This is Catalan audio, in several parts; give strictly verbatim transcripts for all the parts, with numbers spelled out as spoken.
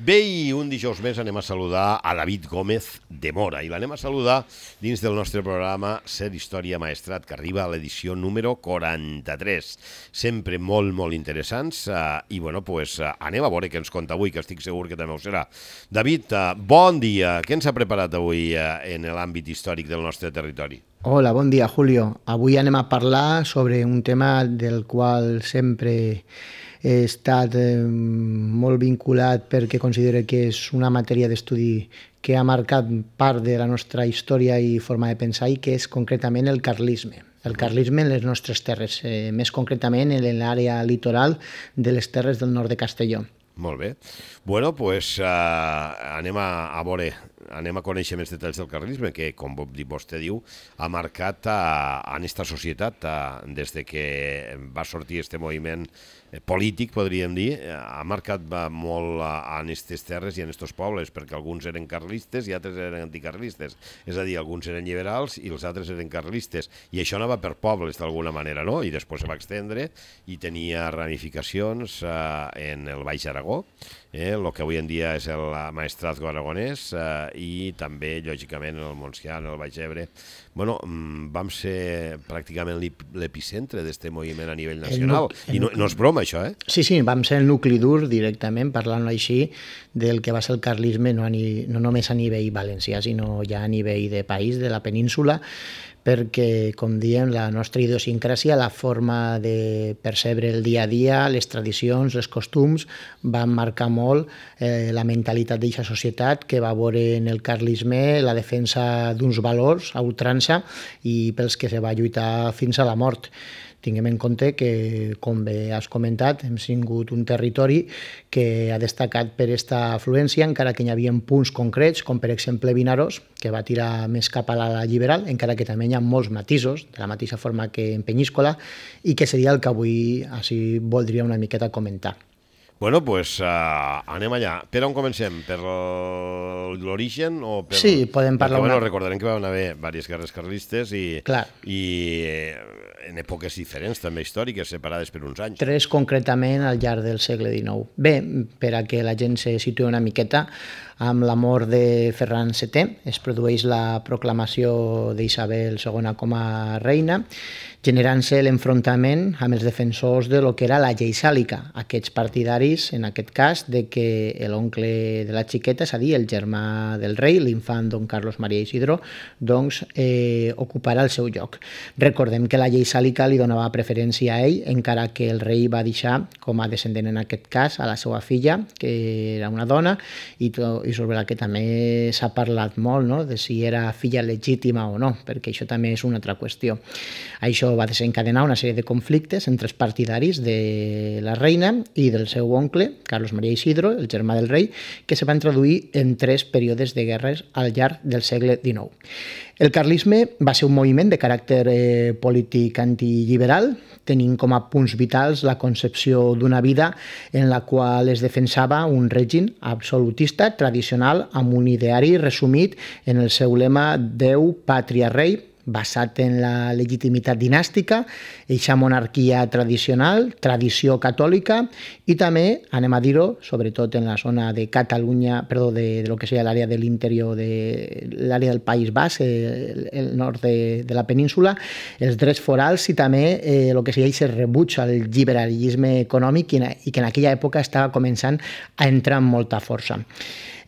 Bé, i un dijous més anem a saludar a David Gómez de Mora i l'anem a saludar dins del nostre programa Ser Història Maestrat, que arriba a l'edició número quaranta-tres. Sempre molt, molt interessants eh, i, bueno, pues, eh, anem a veure què ens conta avui, que estic segur que també ho serà. David, eh, bon dia. Què ens ha preparat avui eh, en l'àmbit històric del nostre territori? Hola, bon dia, Julio. Avui anem a parlar sobre un tema del qual sempre he estat eh, molt vinculat perquè considero que és una matèria d'estudi que ha marcat part de la nostra història i forma de pensar, i que és concretament el carlisme. El carlisme en les nostres terres, eh, més concretament en l'àrea litoral de les terres del nord de Castelló. Molt bé. Bueno, doncs pues, uh, anem a, a veure, anem a conèixer més detalls del carlisme, que, com vostè diu, ha marcat uh, en aquesta societat uh, des de que va sortir aquest moviment polític, podríem dir, ha marcat molt en aquestes terres i en aquests pobles, perquè alguns eren carlistes i altres eren anticarlistes. És a dir, alguns eren liberals i els altres eren carlistes. I això anava per pobles, d'alguna manera, no? I després se va extendre i tenia ramificacions eh, en el Baix Aragó, eh, el que avui en dia és el Maestrazgo aragonès, eh, i també, lògicament, en el Montsià, en el Baix Ebre. Bueno, vam ser pràcticament l'epicentre d'aquest moviment a nivell nacional. I no, no és broma, això, eh? Sí, sí, vam ser el nucli dur directament, parlant-ho així, del que va ser el carlisme, no, a ni, no només a nivell valencià, sinó ja a nivell de país, de la península, perquè, com diem, la nostra idiosincràsia, la forma de percebre el dia a dia, les tradicions, els costums, van marcar molt eh, la mentalitat d'aquesta societat, que va veure en el carlisme la defensa d'uns valors a ultrança i pels que se va lluitar fins a la mort. Tinguem en compte que, com bé has comentat, hem tingut un territori que ha destacat per aquesta afluència, encara que hi havia punts concrets, com per exemple Vinaròs, que va tirar més cap a la liberal, encara que també hi ha molts matisos, de la mateixa forma que en Penyíscola, i que seria el que avui així voldria una miqueta comentar. Bueno, doncs pues, uh, anem allà. Per on comencem? Per l'origen? O per... Sí, podem parlar... Perquè, una... bueno, recordarem que van haver diverses guerres carlistes i, Clar. i en èpoques diferents, també històriques, separades per uns anys. Tres concretament al llarg del segle dinou. Bé, per a que la gent se situï una miqueta, amb la mort de Ferran setè es produeix la proclamació d'Isabel segona com a reina, generant-se l'enfrontament amb els defensors de lo que era la llei sàlica, aquests partidaris, en aquest cas, de que l'oncle de la xiqueta, és a dir, el germà del rei, l'infant don Carlos María Isidro, doncs eh, ocuparà el seu lloc. Recordem que la llei sàlica li donava preferència a ell, encara que el rei va deixar com a descendent en aquest cas a la seva filla, que era una dona, i, to, i sobre la que també s'ha parlat molt, no?, de si era filla legítima o no, perquè això també és una altra qüestió. Això va desencadenar una sèrie de conflictes entre els partidaris de la reina i del seu oncle, Carlos María Isidro, el germà del rei, que se van traduir en tres períodes de guerres al llarg del segle dinou. El carlisme va ser un moviment de caràcter eh, polític antiliberal, tenint com a punts vitals la concepció d'una vida en la qual es defensava un règim absolutista tradicional amb un ideari resumit en el seu lema Déu, pàtria, rei, basat en la legitimitat dinàstica, eixa monarquia tradicional, tradició catòlica, i també, anem a dir-ho, sobretot en la zona de Catalunya, perdó, de, de lo que seria l'àrea de l'interior, de l'àrea del País Basc, el, el nord de, de la península, els drets forals i també eh, el que seria el rebuig al liberalisme econòmic i, i que en aquella època estava començant a entrar amb molta força.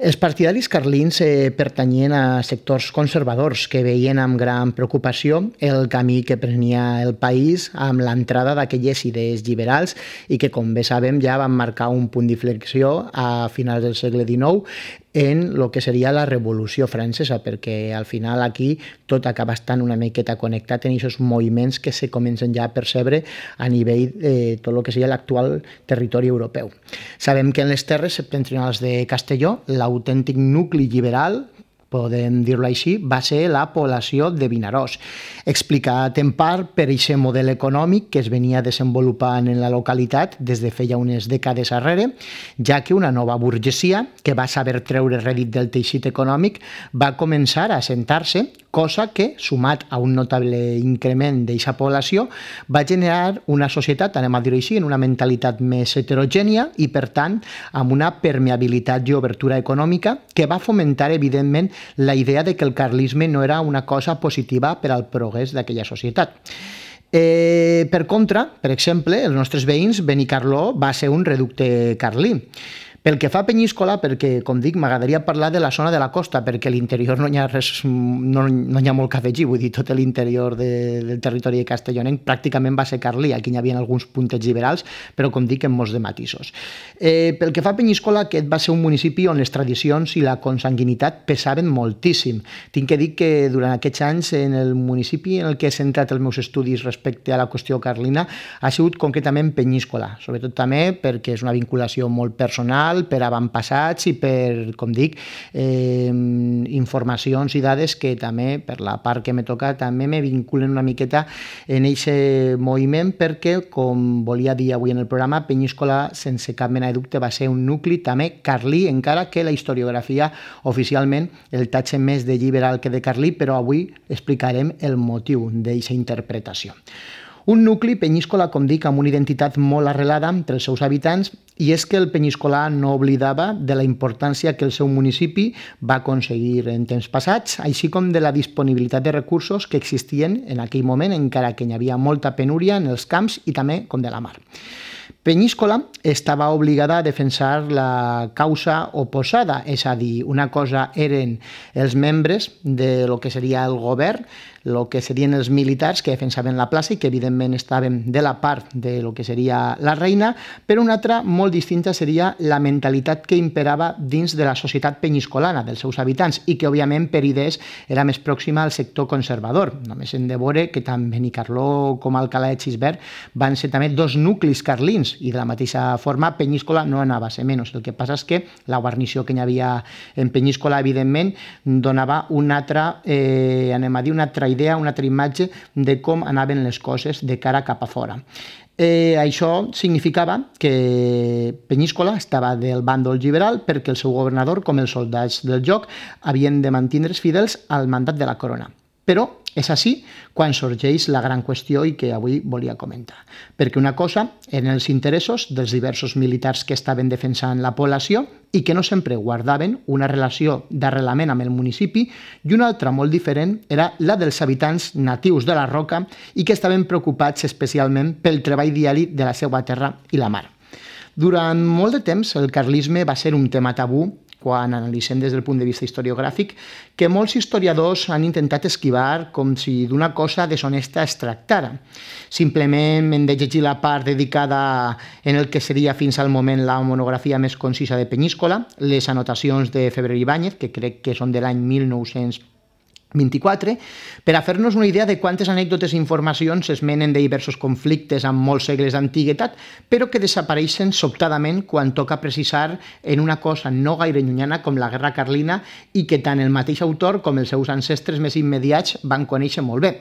Els partidaris carlins eh, pertanyien a sectors conservadors que veien amb gran preocupació el camí que prenia el país amb l'entrada d'aquelles idees liberals i que, com bé sabem, ja van marcar un punt d'inflexió a finals del segle dinou en el que seria la Revolució Francesa, perquè al final aquí tot acaba estant una miqueta connectat en aquests moviments que se comencen ja a percebre a nivell de tot el que seria l'actual territori europeu. Sabem que en les terres septentrionals de Castelló, l'autèntic nucli liberal podem dir-ho així, va ser la població de Vinaròs, explicat en part per aquest model econòmic que es venia desenvolupant en la localitat des de feia unes dècades arrere, ja que una nova burgesia, que va saber treure rèdit del teixit econòmic, va començar a assentar-se, cosa que, sumat a un notable increment d'aquesta població, va generar una societat, anem a dir-ho així, en una mentalitat més heterogènia i, per tant, amb una permeabilitat i obertura econòmica que va fomentar, evidentment, la idea de que el carlisme no era una cosa positiva per al progrés d'aquella societat. Eh, per contra, per exemple, els nostres veïns, Benicarló va ser un reducte carlí. Pel que fa a Penyíscola, perquè, com dic, m'agradaria parlar de la zona de la costa, perquè a l'interior no hi ha res, no, no hi ha molt que afegir, vull dir, tot l'interior de, del territori de Castellonenc pràcticament va ser carlí, aquí hi havia alguns puntets liberals, però, com dic, en molts de matisos. Eh, pel que fa a Penyíscola, aquest va ser un municipi on les tradicions i la consanguinitat pesaven moltíssim. Tinc que dir que durant aquests anys, en el municipi en el que he centrat els meus estudis respecte a la qüestió carlina, ha sigut concretament Penyíscola, sobretot també perquè és una vinculació molt personal, per avantpassats i per, com dic, eh, informacions i dades que també, per la part que m'he tocat, també me vinculen una miqueta en aquest moviment perquè, com volia dir avui en el programa, Penyíscola, sense cap mena de dubte, va ser un nucli també carlí, encara que la historiografia oficialment el tatxa més de liberal que de carlí, però avui explicarem el motiu d'aquesta interpretació. Un nucli, Penyíscola, com dic, amb una identitat molt arrelada entre els seus habitants, i és que el penyiscolà no oblidava de la importància que el seu municipi va aconseguir en temps passats, així com de la disponibilitat de recursos que existien en aquell moment, encara que hi havia molta penúria en els camps i també com de la mar. Penyíscola estava obligada a defensar la causa oposada, és a dir, una cosa eren els membres de lo que seria el govern, el que serien els militars que defensaven la plaça i que evidentment estaven de la part de lo que seria la reina, però una altra molt distinta seria la mentalitat que imperava dins de la societat penyiscolana, dels seus habitants, i que òbviament per idees era més pròxima al sector conservador. Només hem de veure que tant Benicarló com Alcalà de Xisbert van ser també dos nuclis carlins, i de la mateixa forma Penyíscola no anava a ser menys. El que passa és que la guarnició que hi havia en Penyíscola, evidentment, donava una altra, eh, anem a dir, una altra idea, una altra imatge de com anaven les coses de cara cap a fora. Eh, això significava que Penyíscola estava del bàndol liberal perquè el seu governador, com els soldats del joc, havien de mantindre's fidels al mandat de la corona. Però és així quan sorgeix la gran qüestió i que avui volia comentar. Perquè una cosa eren els interessos dels diversos militars que estaven defensant la població i que no sempre guardaven una relació d'arrelament amb el municipi, i una altra molt diferent era la dels habitants natius de la Roca i que estaven preocupats especialment pel treball diari de la seva terra i la mar. Durant molt de temps el carlisme va ser un tema tabú quan analitzem des del punt de vista historiogràfic, que molts historiadors han intentat esquivar com si d'una cosa deshonesta es tractara. Simplement hem de llegir la part dedicada en el que seria fins al moment la monografia més concisa de Penyíscola, les anotacions de Febrer Ibáñez, que crec que són de l'any mil nou-cents vint-i-quatre, per a fer-nos una idea de quantes anècdotes i informacions es menen de diversos conflictes amb molts segles d'antiguitat, però que desapareixen sobtadament quan toca precisar en una cosa no gaire llunyana com la Guerra Carlina i que tant el mateix autor com els seus ancestres més immediats van conèixer molt bé.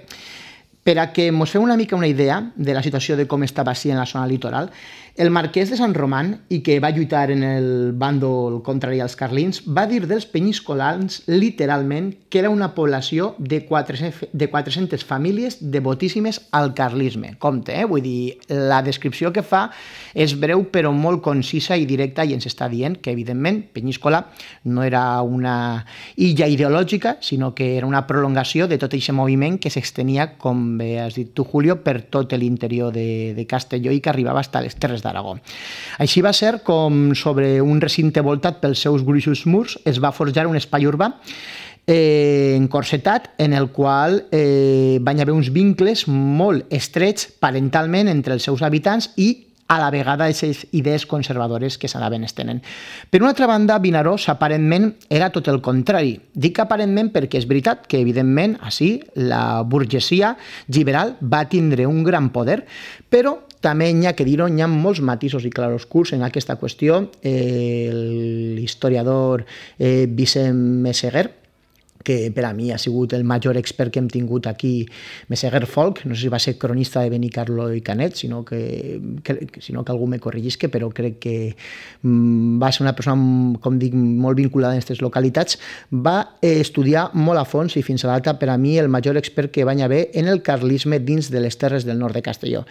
Per a que ens feu una mica una idea de la situació de com estava així en la zona litoral, el marquès de Sant Román, i que va lluitar en el bàndol contrari als carlins, va dir dels penyiscolans literalment que era una població de quatre-centes famílies devotíssimes al carlisme. Compte, eh? Vull dir, la descripció que fa és breu però molt concisa i directa i ens està dient que, evidentment, Penyíscola no era una illa ideològica, sinó que era una prolongació de tot aquest moviment que s'extenia, com bé has dit tu, Julio, per tot l'interior de, de Castelló i que arribava fins a les Terres d'Aragó. Així va ser com sobre un recinte voltat pels seus gruixos murs es va forjar un espai urbà eh, encorsetat en el qual eh, van haver uns vincles molt estrets parentalment entre els seus habitants i a la vegada aquestes idees conservadores que s'anaven estenent. Per una altra banda, Vinaròs aparentment era tot el contrari. Dic aparentment perquè és veritat que, evidentment, així la burgesia liberal va tindre un gran poder, però també n'hi ha que dir-ho, n'hi ha molts matisos i claroscurs en aquesta qüestió. Eh, l'historiador eh, Vicent Meseguer que per a mi ha sigut el major expert que hem tingut aquí, Meseguer Folk, no sé si va ser cronista de Benicarló i Canet, sinó que, que, sinó que algú me corrigisque, però crec que mm, va ser una persona, com dic, molt vinculada en aquestes localitats, va estudiar molt a fons i fins a l'alta, per a mi, el major expert que va haver en el carlisme dins de les terres del nord de Castelló.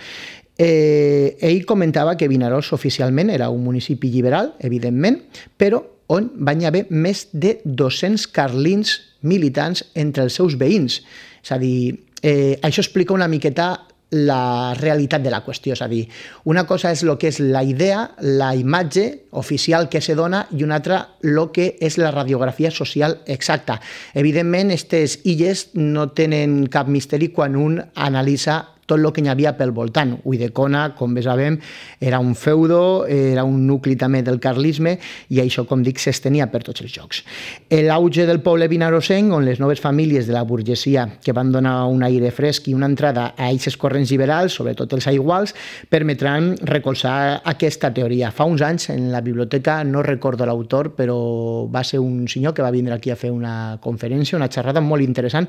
Eh, ell comentava que Vinaròs oficialment era un municipi liberal, evidentment, però on van haver més de dos-cents carlins militants entre els seus veïns. És a dir, eh, això explica una miqueta la realitat de la qüestió, és a dir, una cosa és el que és la idea, la imatge oficial que se dona i una altra el que és la radiografia social exacta. Evidentment, aquestes illes no tenen cap misteri quan un analitza tot el que hi havia pel voltant. Ulldecona, com bé sabem, era un feudo, era un nucli també del carlisme i això, com dic, s'estenia per tots els llocs. L'auge del poble vinarosenc, on les noves famílies de la burgesia que van donar un aire fresc i una entrada a aquests corrents liberals, sobretot els aiguals, permetran recolzar aquesta teoria. Fa uns anys, en la biblioteca, no recordo l'autor, però va ser un senyor que va vindre aquí a fer una conferència, una xerrada molt interessant,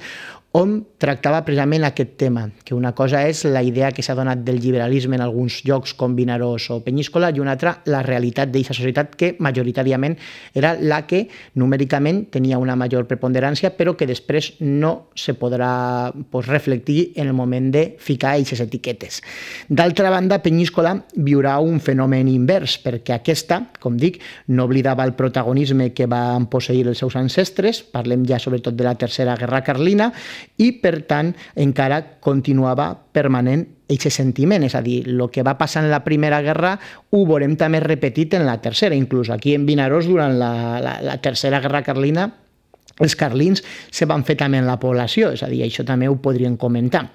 on tractava precisament aquest tema, que una cosa és la idea que s'ha donat del liberalisme en alguns llocs com Vinaròs o Penyíscola i una altra la realitat d'aquesta societat que majoritàriament era la que numèricament tenia una major preponderància però que després no se podrà pues, reflectir en el moment de ficar aquestes etiquetes. D'altra banda, Penyíscola viurà un fenomen invers perquè aquesta, com dic, no oblidava el protagonisme que van posseir els seus ancestres, parlem ja sobretot de la Tercera Guerra Carlina, i, per tant, encara continuava permanent aquest sentiment, és a dir, el que va passar en la Primera Guerra ho veurem també repetit en la Tercera, inclús aquí en Vinaròs durant la, la, la Tercera Guerra Carlina els carlins se van fer també en la població, és a dir, això també ho podríem comentar.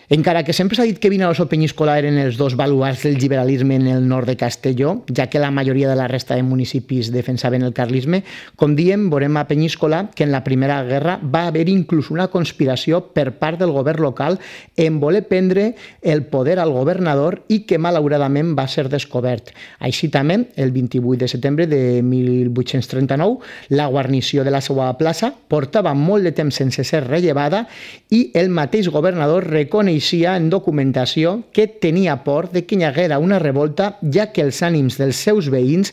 Encara que sempre s'ha dit que Vinaròs o Penyíscola eren els dos baluards del liberalisme en el nord de Castelló, ja que la majoria de la resta de municipis defensaven el carlisme, com diem, veurem a Penyíscola que en la Primera Guerra va haver inclús una conspiració per part del govern local en voler prendre el poder al governador i que malauradament va ser descobert. Així també, el vint-i-vuit de setembre de mil vuit-cents trenta-nou, la guarnició de la seva plaça portava molt de temps sense ser rellevada i el mateix governador reconeix en documentació que tenia por de que hi haguera una revolta, ja que els ànims dels seus veïns,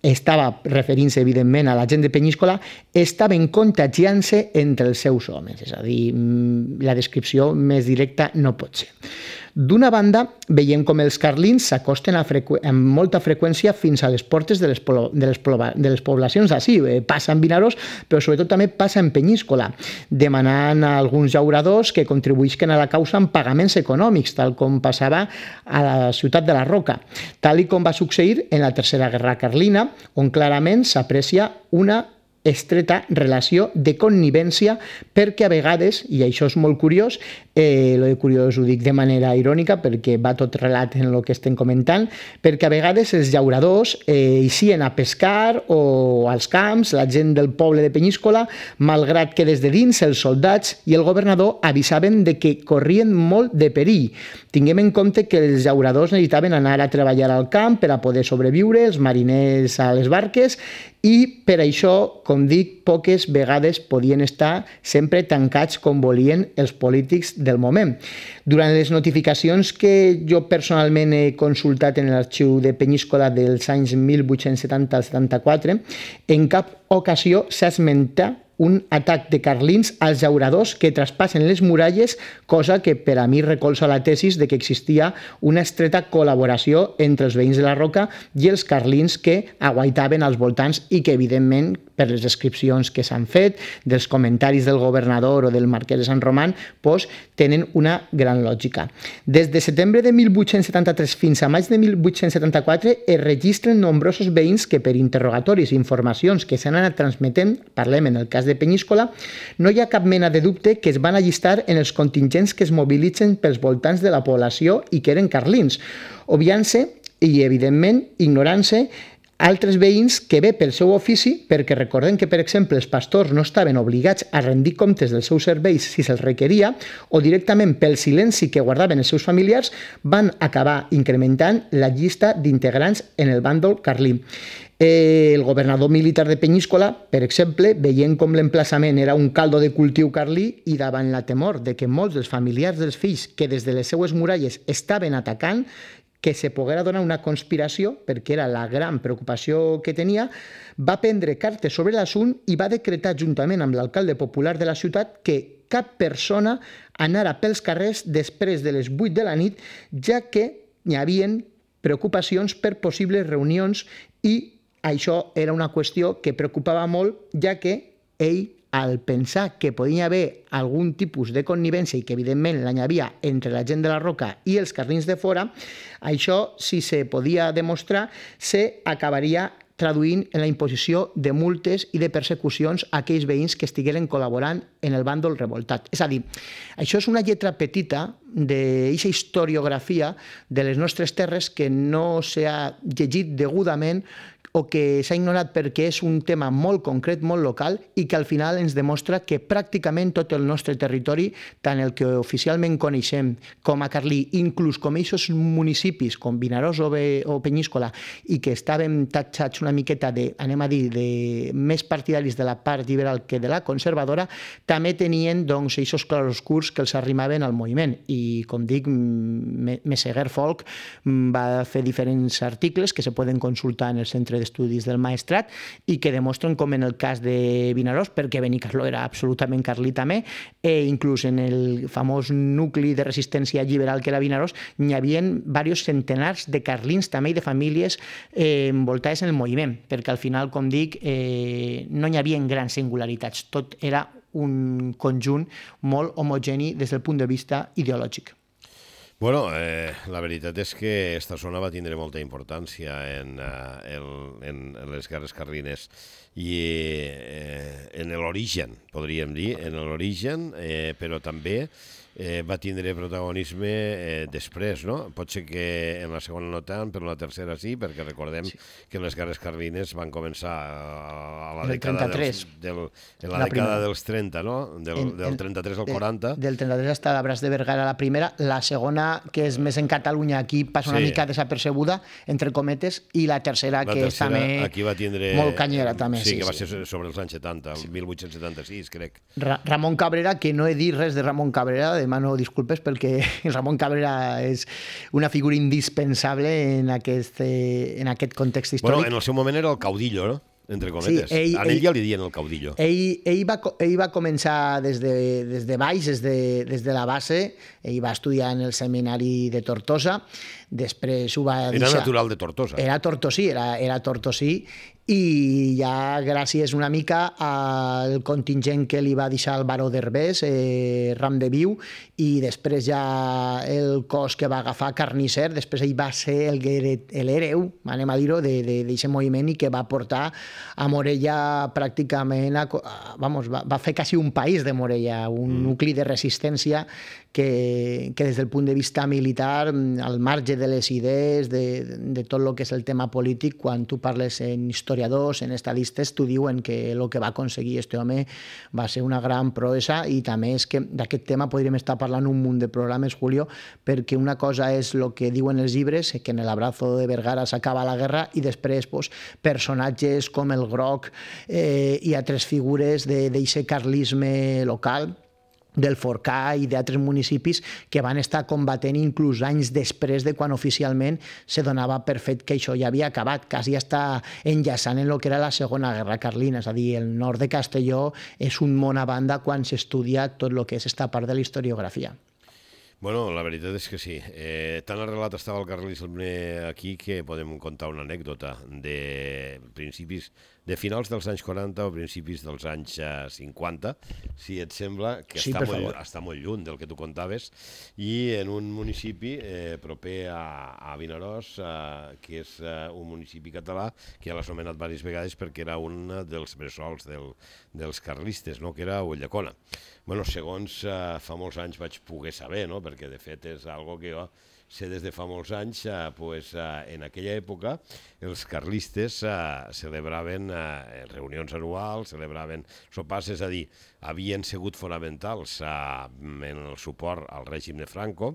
estava referint-se evidentment a la gent de Penyíscola, estaven contagiant-se entre els seus homes. És a dir, la descripció més directa no pot ser. D'una banda, veiem com els carlins s'acosten amb molta freqüència fins a les portes de les, de les, de les poblacions d'ací. Passa en Vinaròs, però sobretot també passa en Penyíscola, demanant a alguns llauradors que contribuïsquen a la causa amb pagaments econòmics, tal com passava a la ciutat de la Roca, tal i com va succeir en la Tercera Guerra Carlina, on clarament s'aprecia una estreta relació de connivència perquè a vegades, i això és molt curiós, eh, lo de curiós ho dic de manera irònica perquè va tot relat en el que estem comentant, perquè a vegades els llauradors eh, eixien a pescar o als camps, la gent del poble de Penyíscola, malgrat que des de dins els soldats i el governador avisaven de que corrien molt de perill. Tinguem en compte que els llauradors necessitaven anar a treballar al camp per a poder sobreviure, els mariners a les barques, i per això, com dic, poques vegades podien estar sempre tancats com volien els polítics del moment. Durant les notificacions que jo personalment he consultat en l'arxiu de Penyíscola dels anys mil vuit-cents setanta al setanta-quatre, en cap ocasió s'esmenta un atac de carlins als llauradors que traspassen les muralles, cosa que per a mi recolza la tesis de que existia una estreta col·laboració entre els veïns de la Roca i els carlins que aguaitaven als voltants i que, evidentment, per les descripcions que s'han fet, dels comentaris del governador o del marquès de Sant Román, doncs, tenen una gran lògica. Des de setembre de mil vuit-cents setanta-tres fins a maig de mil vuit-cents setanta-quatre es registren nombrosos veïns que per interrogatoris i informacions que s'han anat transmetent, parlem en el cas de Penyíscola, no hi ha cap mena de dubte que es van allistar en els contingents que es mobilitzen pels voltants de la població i que eren carlins, obviant-se i, evidentment, ignorant-se altres veïns que bé pel seu ofici, perquè recordem que, per exemple, els pastors no estaven obligats a rendir comptes dels seus serveis si se'ls requeria, o directament pel silenci que guardaven els seus familiars, van acabar incrementant la llista d'integrants en el bàndol carlí. El governador militar de Penyíscola, per exemple, veient com l'emplaçament era un caldo de cultiu carlí i davant la temor de que molts dels familiars dels fills que des de les seues muralles estaven atacant, que se poguera donar una conspiració, perquè era la gran preocupació que tenia, va prendre cartes sobre l'assunt i va decretar, juntament amb l'alcalde popular de la ciutat, que cap persona anara pels carrers després de les vuit de la nit, ja que hi havia preocupacions per possibles reunions i això era una qüestió que preocupava molt, ja que ell, al pensar que podia haver algun tipus de connivència i que evidentment l'hi havia entre la gent de la Roca i els carlins de fora, això, si se podia demostrar, se acabaria traduint en la imposició de multes i de persecucions a aquells veïns que estigueren col·laborant en el bàndol revoltat. És a dir, això és una lletra petita d'aquesta historiografia de les nostres terres que no s'ha llegit degudament o que s'ha ignorat perquè és un tema molt concret, molt local, i que al final ens demostra que pràcticament tot el nostre territori, tant el que oficialment coneixem com a carlí, inclús com aquests municipis, com Vinaròs o, o Penyíscola, i que estàvem tatxats una miqueta de, anem a dir, de més partidaris de la part liberal que de la conservadora, també tenien doncs aquests claroscurs que els arrimaven al moviment. I, com dic, Meseguer Folk va fer diferents articles que se poden consultar en el centre d'estudis del Maestrat i que demostren com en el cas de Vinaròs, perquè Benicarló era absolutament carlí també, e inclús en el famós nucli de resistència liberal que era Vinaròs, hi havia diversos centenars de carlins també i de famílies eh, envoltades en el moviment, perquè al final, com dic, eh, no hi havia grans singularitats, tot era un conjunt molt homogeni des del punt de vista ideològic. Bueno, eh, la veritat és que esta zona va tindre molta importància en, uh, el, en, en les guerres carlines i eh, en l'origen, podríem dir, en l'origen, eh, però també eh, va tindre protagonisme eh, després, no? Pot ser que en la segona no tant, però en la tercera sí, perquè recordem sí. que les guerres carlines van començar a, a la dècada dels, del, en la, la dècada dels trenta, no? Del, en, del trenta-tres al quaranta. Del trenta-tres hasta l'Abràs de Vergara la primera, la segona, que és més en Catalunya, aquí passa una sí. mica desapercebuda, entre cometes, i la tercera, la que tercera, és també aquí va tindre, molt canyera, també. Sí, sí que va sí. ser sobre els anys setanta, el mil vuit-cents setanta-sis, crec. Ra Ramon Cabrera, que no he dit res de Ramon Cabrera, demano disculpes perquè Ramon Cabrera és una figura indispensable en aquest, en aquest context històric. Bueno, en el seu moment era el caudillo, no? Entre cometes. Sí, ell, a ell, ell ja li dien el caudillo. Ell, ell, va, ell va començar des de, des de baix, des de, des de la base. Ell va estudiar en el seminari de Tortosa. Després ho va deixar... Era natural de Tortosa. Era tortosí, era, era tortosí. I ja gràcies una mica al contingent que li va deixar el baró d'Herbés, eh, Ram de Viu, i després ja el cos que va agafar Carnisser, després ell va ser l'hereu, anem a dir-ho, d'aquest moviment i que va portar a Morella pràcticament, a, vamos, va, va fer quasi un país de Morella, un mm. nucli de resistència que, que des del punt de vista militar, al marge de les idees, de, de tot el que és el tema polític, quan tu parles en historiadors, en estadistes, t'ho diuen que el que va aconseguir este home va ser una gran proesa, i també és que d'aquest tema podríem estar parlant un munt de programes, Julio, perquè una cosa és el que diuen els llibres, que en el Abrazo de Vergara s'acaba la guerra, i després pues, personatges com el Groc eh, i altres figures d'aquest carlisme local, del Forcà i d'altres municipis que van estar combatent inclús anys després de quan oficialment se donava per fet que això ja havia acabat, quasi està enllaçant en el que era la Segona Guerra Carlina, és a dir, el nord de Castelló és un món a banda quan s'estudia tot el que és esta part de la historiografia. Bueno, la veritat és que sí. Eh, tan arrelat estava el carlisme aquí que podem contar una anècdota de principis, de finals dels anys quaranta o principis dels anys cinquanta, si et sembla, que sí, està, molt, està molt lluny del que tu contaves, i en un municipi eh, proper a, a Vinaròs, eh, que és eh, un municipi català, que ja l'has anomenat diverses vegades perquè era un dels bressols del, dels carlistes, no? Que era Ulldecona. Bueno, segons eh, fa molts anys vaig poder saber, no? Perquè de fet és algo que jo sé des de fa molts anys, eh, pues, eh, en aquella època els carlistes eh, celebraven eh, reunions anuals, celebraven sopars, és a dir, havien sigut fonamentals eh, en el suport al règim de Franco.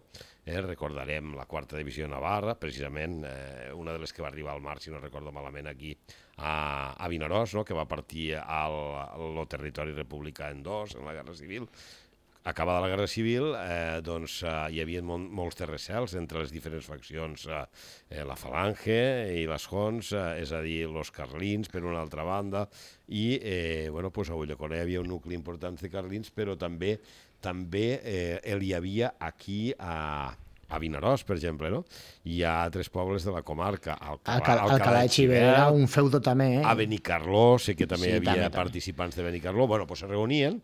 Eh, recordarem la quarta divisió de Navarra, precisament eh, una de les que va arribar al mar, si no recordo malament, aquí a, a Vinaròs, no? Que va partir al, al territori republicà en dos, en la Guerra Civil. Acabada la Guerra Civil, eh, doncs, eh, hi havia mol molts terracels entre les diferents faccions, eh, la Falange i les Hons, eh, és a dir, els carlins, per una altra banda, i eh, bueno, pues a Ulldecona hi havia un nucli important de carlins, però també també eh, hi havia aquí a, a Vinaròs, per exemple, no? Hi ha altres pobles de la comarca, Alcalà, Alcalà de Xivert, un feudo també, eh? A Benicarló, sé que també sí, hi havia també, participants de Benicarló, bueno, pues se reunien,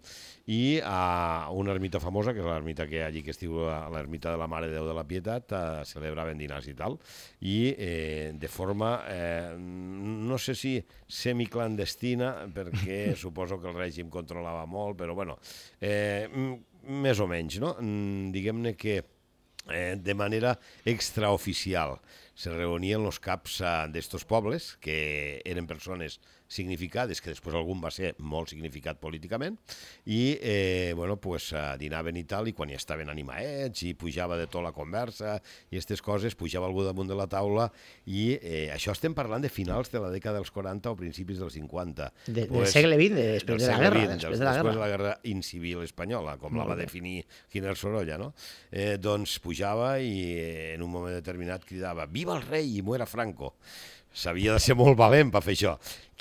i a una ermita famosa, que és l'ermita que allí que es diu l'ermita de la Mare de Déu de la Pietat, eh, celebraven dinars i tal, i eh, de forma, eh, no sé si semiclandestina, perquè suposo que el règim controlava molt, però bueno, eh, més o menys, no? Diguem-ne que eh, de manera extraoficial se reunien els caps eh, d'estos pobles, que eren persones significades, que després algun va ser molt significat políticament, i eh, bueno, pues, eh, dinaven i tal, i quan ja estaven animaets, i pujava de tot la conversa, i aquestes coses, pujava algú damunt de la taula, i eh, això estem parlant de finals de la dècada dels quaranta o principis dels cinquanta. De, pues, del segle vint, de, després de la guerra. vint, després de la, després de la guerra incivil espanyola, com la va definir Giner Sorolla, no? Eh, doncs pujava i en un moment determinat cridava «Viva el rei i muera Franco!» S'havia de ser molt valent per fer això.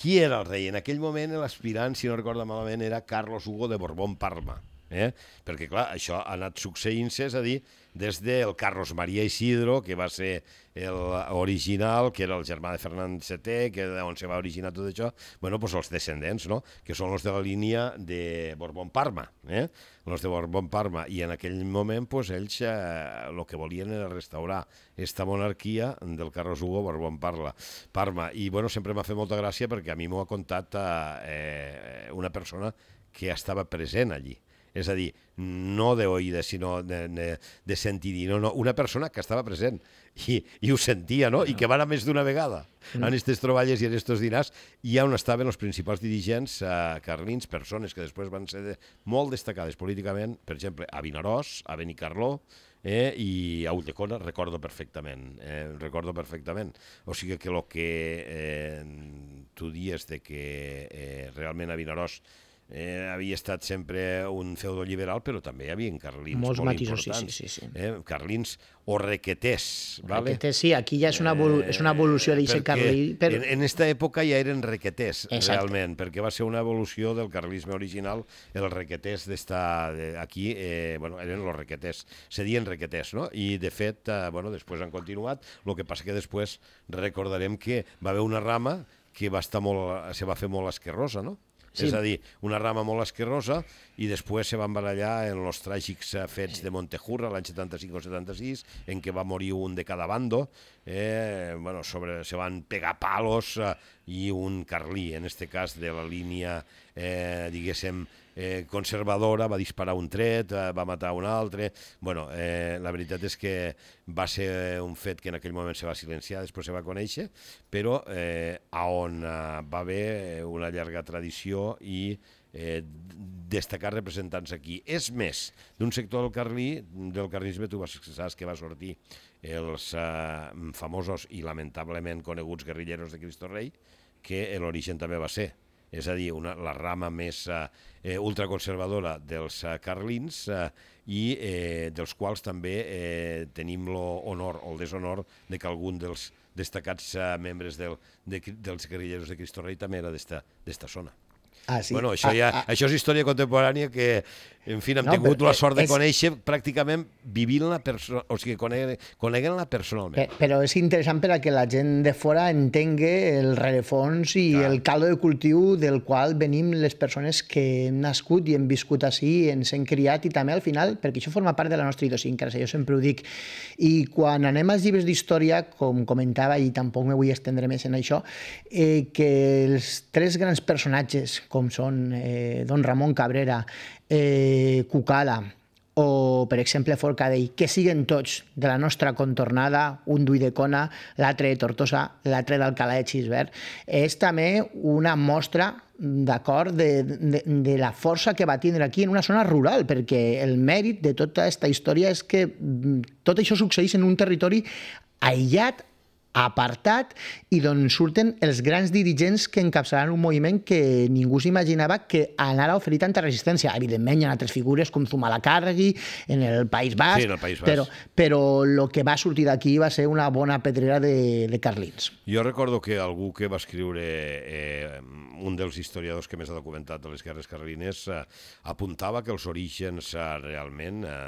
Qui era el rei? En aquell moment l'aspirant, si no recordo malament, era Carlos Hugo de Borbón-Parma. Eh? Perquè, clar, això ha anat succeint-se, és a dir, des del Carlos María Isidro, que va ser l'original, que era el germà de Ferran setè, que on se va originar tot això, bueno, doncs els descendents, no? Que són els de la línia de Borbón-Parma, eh? Els de Borbón-Parma, i en aquell moment, doncs, ells eh, el que volien era restaurar esta monarquia del Carlos Hugo Borbón-Parma. I, bueno, sempre m'ha fet molta gràcia perquè a mi m'ho ha contat eh, una persona que estava present allí. És a dir, no d'oïda, sinó de, de, de sentir-hi, no, no, una persona que estava present i, i ho sentia, no? I que va anar més d'una vegada en aquestes troballes i en aquests dinars, i on estaven els principals dirigents eh, carlins, persones que després van ser de, molt destacades políticament, per exemple, a Vinaròs, a Benicarló, eh, i a Ulldecona, recordo perfectament, eh, recordo perfectament. O sigui que el que eh, tu dies de que eh, realment a Vinaròs Eh, havia estat sempre un feudo liberal, però també hi havia carlins Molts molt matisos, importants. sí, sí, sí. Eh, carlins o requeters. Vale? Requeters, sí, aquí ja és una, evolu és una evolució d'aquest carlí. Per... En, en esta època ja eren requeters, Exacte. realment, perquè va ser una evolució del carlisme original, els requeters d'esta... Aquí, eh, bueno, eren els requeters, se dien requeters, no? I, de fet, eh, bueno, després han continuat, el que passa que després recordarem que va haver una rama que va estar molt, se va fer molt esquerrosa, no? Sí. És a dir, una rama molt esquerrosa, i després se van barallar en els tràgics fets de Montejurra l'any setanta-cinc o setanta-sis, en què va morir un de cada bando, eh, bueno, sobre, se van pegar palos, eh, i un carlí, en este cas de la línia, eh, diguéssim, eh, conservadora, va disparar un tret, eh, va matar un altre. Bueno, eh, la veritat és que va ser un fet que en aquell moment se va silenciar, després se va conèixer, però eh, on eh, va haver una llarga tradició i eh, destacar representants aquí. És més, d'un sector del carlí, del carlisme, tu saps que va sortir els eh, famosos i lamentablement coneguts guerrilleros de Cristo Rei, que l'origen també va ser. És a dir, una, la rama més eh, ultraconservadora dels eh, carlins, eh, i eh, dels quals també eh, tenim l'honor o el deshonor de que algun dels destacats eh, membres del, de, dels guerrilleros de Cristo Rei també era d'esta zona. Ah, sí. Bueno, això, ah, ja, ah. això és història contemporània que, en fi, hem no, tingut la sort de és... conèixer pràcticament vivint-la, o sigui, coneguent-la personalment. Però, però és interessant per a que la gent de fora entengui el rerefons i Clar. el caldo de cultiu del qual venim les persones que hem nascut i hem viscut així, ens hem criat, i també al final, perquè això forma part de la nostra idiosincràsia, jo sempre ho dic. I quan anem als llibres d'història, com comentava, i tampoc me vull estendre més en això, eh, que els tres grans personatges, com són eh, don Ramon Cabrera, eh, Cucala o, per exemple, Forcadell, que siguen tots de la nostra contornada, un d'Ull de Cona, l'altre de Tortosa, l'altre d'Alcalà de Xivert, és també una mostra d'acord, de, de, de la força que va tindre aquí en una zona rural, perquè el mèrit de tota aquesta història és que tot això succeeix en un territori aïllat, apartat, i d'on surten els grans dirigents que encapçalaran un moviment que ningú s'imaginava que anara a oferir tanta resistència. Evidentment, hi ha altres figures com Zumalacárregui en el País Basc, sí, en el País Basc. però, però el que va sortir d'aquí va ser una bona pedrera de, de carlins. Jo recordo que algú que va escriure, eh, un dels historiadors que més ha documentat de les guerres carlines, eh, apuntava que els orígens eh, realment eh,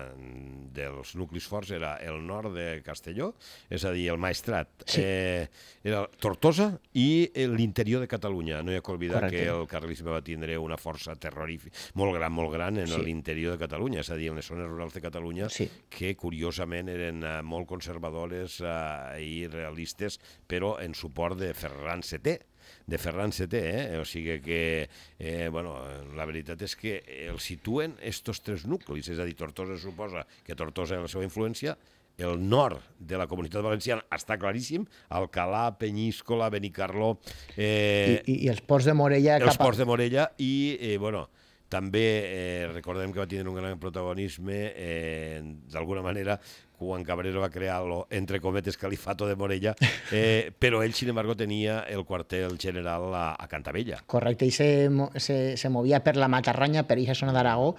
dels nuclis forts era el nord de Castelló, és a dir, el Maestrat, sí. eh, era Tortosa i l'interior de Catalunya. No hi ha que oblidar Correcte. Que el carlisme va tindre una força terrorífica, molt gran, molt gran en sí. l'interior de Catalunya, és a dir, en les zones rurals de Catalunya, sí. que curiosament eren uh, molt conservadores uh, i realistes, però en suport de Ferran setè, de Ferran setè, eh? O sigui que, eh, bueno, la veritat és que el situen estos tres nuclis, és a dir, Tortosa suposa que Tortosa era la seva influència, el nord de la Comunitat Valenciana està claríssim, Alcalà, Penyíscola, Benicarló... Eh, I, I els ports de Morella... Els ports de Morella i, eh, bueno, també eh, recordem que va tenir un gran protagonisme, eh, d'alguna manera, quan Cabrero va crear el, entre cometes, Califato de Morella, eh, però ell, sin embargo, tenia el quartel general a, a Cantabella. Correcte, i se, se, se movia per la Matarranya, per aquesta zona d'Aragó,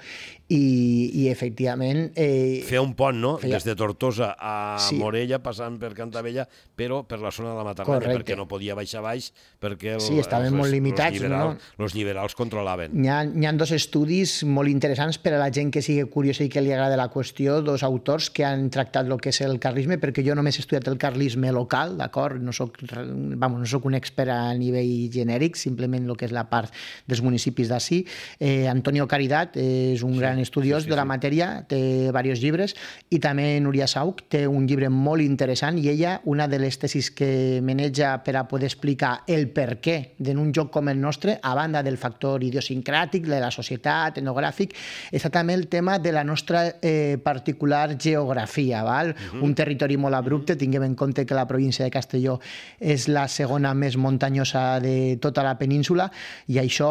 i, i efectivament... Eh, feia un pont, no?, feia... des de Tortosa a sí. Morella, passant per Cantabella, però per la zona de la Matarranya, Correcte. Perquè no podia baixar baix, perquè el, sí, estaven els, molt limitats, els, liberals, no? els liberals controlaven. Hi ha, hi ha dos estudis molt interessants per a la gent que sigui curiosa i que li agrada la qüestió, dos autors que han tractat el que és el carlisme, perquè jo només he estudiat el carlisme local, d'acord? No soc, vamos, no soc un expert a nivell genèric, simplement el que és la part dels municipis d'ací. Eh, Antonio Caridad és un sí, gran estudiós sí, sí, de la sí. matèria, té diversos llibres, i també Núria Sauch té un llibre molt interessant, i ella, una de les tesis que maneja per a poder explicar el per què d'un joc com el nostre, a banda del factor idiosincràtic, de la societat, etnogràfic, és també el tema de la nostra eh, particular geografia, val? Uh-huh. Un territori molt abrupte, tinguem en compte que la província de Castelló és la segona més muntanyosa de tota la península, i això,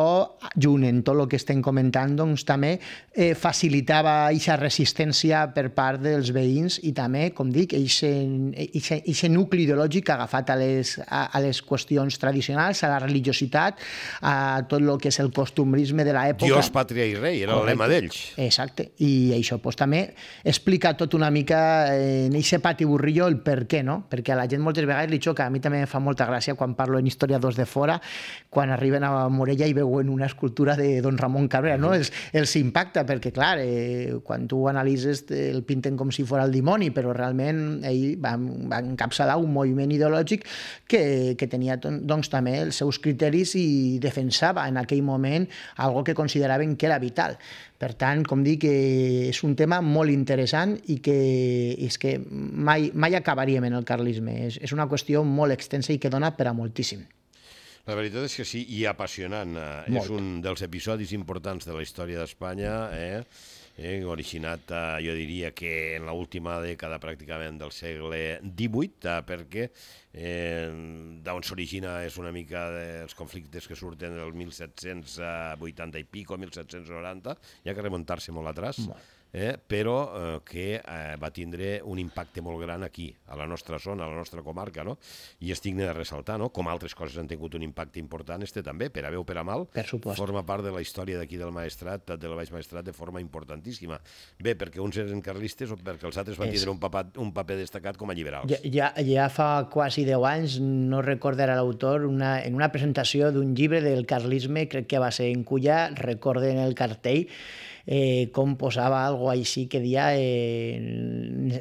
junt en tot el que estem comentant, doncs també eh, facilitava aquesta resistència per part dels veïns, i també, com dic, aquest nucli ideològic agafat a les, a, a les qüestions tradicionals, a la religiositat, a tot el que és el costumbrisme de l'època. Dios, pàtria i rei, era el lema d'ells. Exacte, i això pues, també explica tot una mica en aquest pati burrillo el per què, no? Perquè a la gent moltes vegades li xoca. A mi també em fa molta gràcia quan parlo en historiadors de fora, quan arriben a Morella i veuen una escultura de don Ramon Cabrera, no? Els, els impacta, perquè clar, eh, quan tu analitzes el pinten com si fos el dimoni, però realment ell va, va encapçalar un moviment ideològic que, que tenia doncs, també els seus criteris i defensava en aquell moment algo que consideraven que era vital. Per tant, com dic, és un tema molt interessant i que és que mai, mai acabaríem en el carlisme. És, és una qüestió molt extensa i que dona per a moltíssim. La veritat és que sí, i apassionant. Molt. És un dels episodis importants de la història d'Espanya, eh? Eh, originat, eh, jo diria que en l'última dècada pràcticament del segle divuit, eh, perquè eh, d'on s'origina és una mica dels conflictes que surten del mil set-cents vuitanta i pico, mil set-cents noranta, hi ha que remuntar-se molt atrás. Molt. Eh, però eh, que eh, va tindre un impacte molt gran aquí, a la nostra zona, a la nostra comarca, no? I és digne de ressaltar, no? Com altres coses han tingut un impacte important, este també, per a bé o per a mal, per supost. Forma part de la història d'aquí del Maestrat, del Baix Maestrat, de forma importantíssima. Bé, perquè uns eren carlistes o perquè els altres van tindre un, paper, un paper destacat com a liberals. Ja, ja, ja fa quasi deu anys, no recordarà l'autor, una, en una presentació d'un llibre del carlisme, crec que va ser en Culla, recorden el cartell, Eh, com posava algo així que dia eh,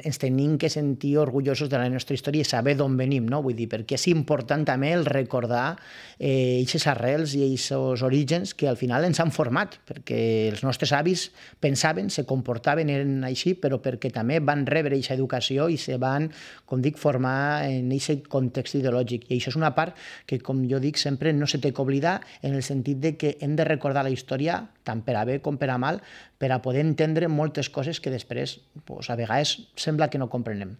ens tenim que sentir orgullosos de la nostra història i saber d'on venim, no? Vull dir, perquè és important també el recordar eh, aquestes arrels i aquests orígens que al final ens han format, perquè els nostres avis pensaven, se comportaven, eren així, però perquè també van rebre aquesta educació i se van, com dic, formar en aquest context ideològic. I això és una part que, com jo dic, sempre no se té que oblidar, en el sentit de que hem de recordar la història, tant per a bé com per a mal, per a poder entendre moltes coses que després, pues, a vegades, sembla que no comprenem.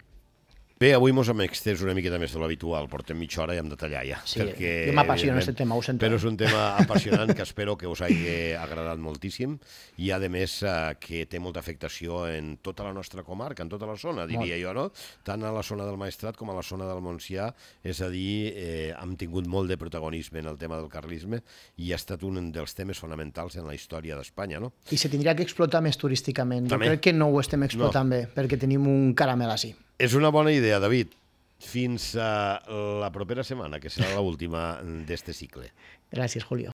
Bé, avui mos hem extès una miqueta més de l'habitual, portem mitja hora i hem de tallar ja. Sí, perquè, jo m'apassiona aquest tema, ho sento. Però és un tema apassionant que espero que us hagi agradat moltíssim i, a més, que té molta afectació en tota la nostra comarca, en tota la zona, diria jo, no? Tant a la zona del Maestrat com a la zona del Montsià, és a dir, eh, hem tingut molt de protagonisme en el tema del carlisme i ha estat un dels temes fonamentals en la història d'Espanya, no? I se tindria que explotar més turísticament. També. Jo crec que no ho estem explotant no. bé, perquè tenim un caramel així. És una bona idea, David. Fins a la propera setmana, que serà l'última d'este cicle. Gràcies, Julio.